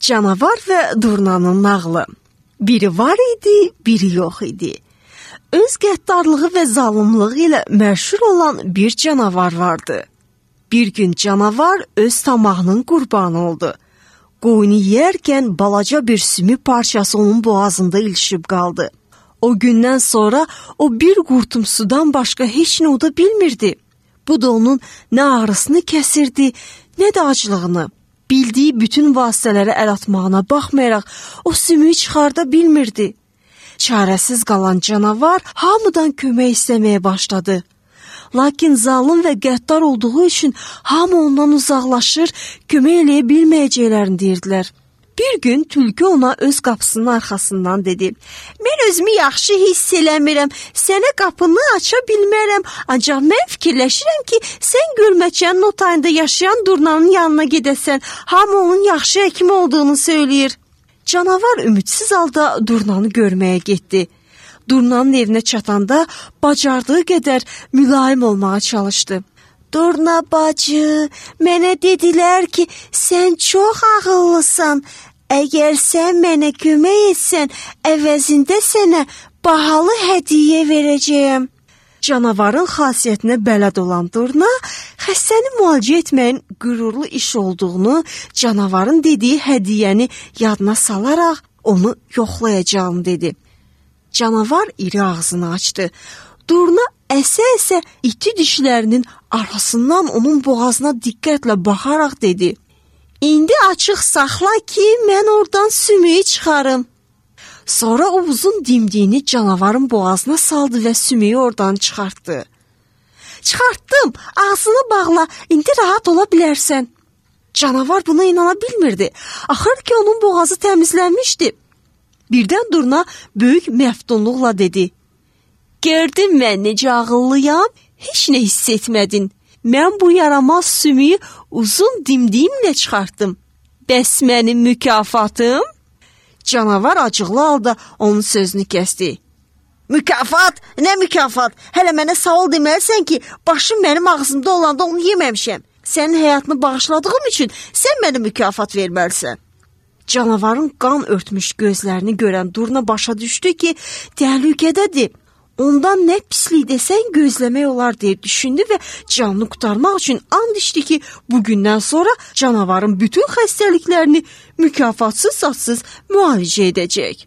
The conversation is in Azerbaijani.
Canavar və Durnanın nağılı. Biri var idi, biri yox idi. Öz qəddarlığı və zalımlığı ilə məşhur olan bir canavar vardı. Bir gün canavar öz tamahının qurbanı oldu. Qoyunu yeyərkən balaca bir sümük parçası onun boğazında ilişib qaldı. O gündən sonra o bir qurtum sudan başqa heç nə uda bilmirdi. Bu da onun nə ağrısını kəsirdi, nə də aclığını. Bildiyi bütün vasitələrə əl atmağına baxmayaraq o sümüyü çıxarda bilmirdi. Çarəsiz qalan canavar hamıdan kömək istəməyə başladı. Lakin zalım və qəddar olduğu üçün hamı ondan uzaqlaşır, kömək eləyə bilməyəcəklərini deyirdilər. Bir gün tülkü ona öz qapısının arxasından dedi: "Mən özümü yaxşı hiss eləmirəm, sənə qapını aça bilmərəm, ancaq mən fikirləşirəm ki, sən gölməçənin o tayında yaşayan Durnanın yanına gedəsən, hamı onun yaxşı həkim olduğunu söyləyir." Canavar ümidsiz halda Durnanı görməyə getdi. Durnanın evinə çatanda bacardığı qədər mülayim olmağa çalışdı. "Durna bacı, mənə dedilər ki, sən çox ağıllısan. Əgər sən mənə kömək etsən, əvəzində sənə bahalı hədiyyə verəcəyəm." Canavarın xasiyyətinə bələd olan Durna, xəstəni müalicə etməyin qürurlu iş olduğunu, canavarın dediyi hədiyyəni yadına salaraq onu yoxlayacağını dedi. Canavar iri ağzını açdı. Durna əsə-əsə iti dişlərinin arasından onun boğazına diqqətlə baxaraq dedi: "İndi açıq saxla ki, mən oradan sümüyü çıxarım." Sonra o uzun dimdiyini canavarın boğazına saldı və sümüyü oradan çıxartdı. "Çıxartdım, ağzını bağla, indi rahat ola bilərsən." Canavar buna inana bilmirdi. Axır ki, onun boğazı təmizlənmişdi. Birdən Durna böyük məftunluqla dedi: "Gördün mən necə ağıllıyam? Heç nə hiss etmədin. Mən bu yaramaz sümüyü uzun dimdiyimlə çıxartdım. Bəs mənim mükafatım?" Canavar acıqlı halda onun sözünü kəsdi. "Mükafat? Nə mükafat? Hələ mənə sağ ol deməlisən ki, başım mənim ağzımda olanda onu yeməmişəm. Sənin həyatını bağışladığım üçün sən mənə mükafat verməlisən." Canavarın qan örtmüş gözlərini görən Durna başa düşdü ki, təhlükədədir. Ondan nə pislik desən gözləmək olar deyə düşündü və canını qurtarmaq üçün and içdi ki, bugündən sonra canavarın bütün xəstəliklərini mükafatsız-satsız müalicə edəcək.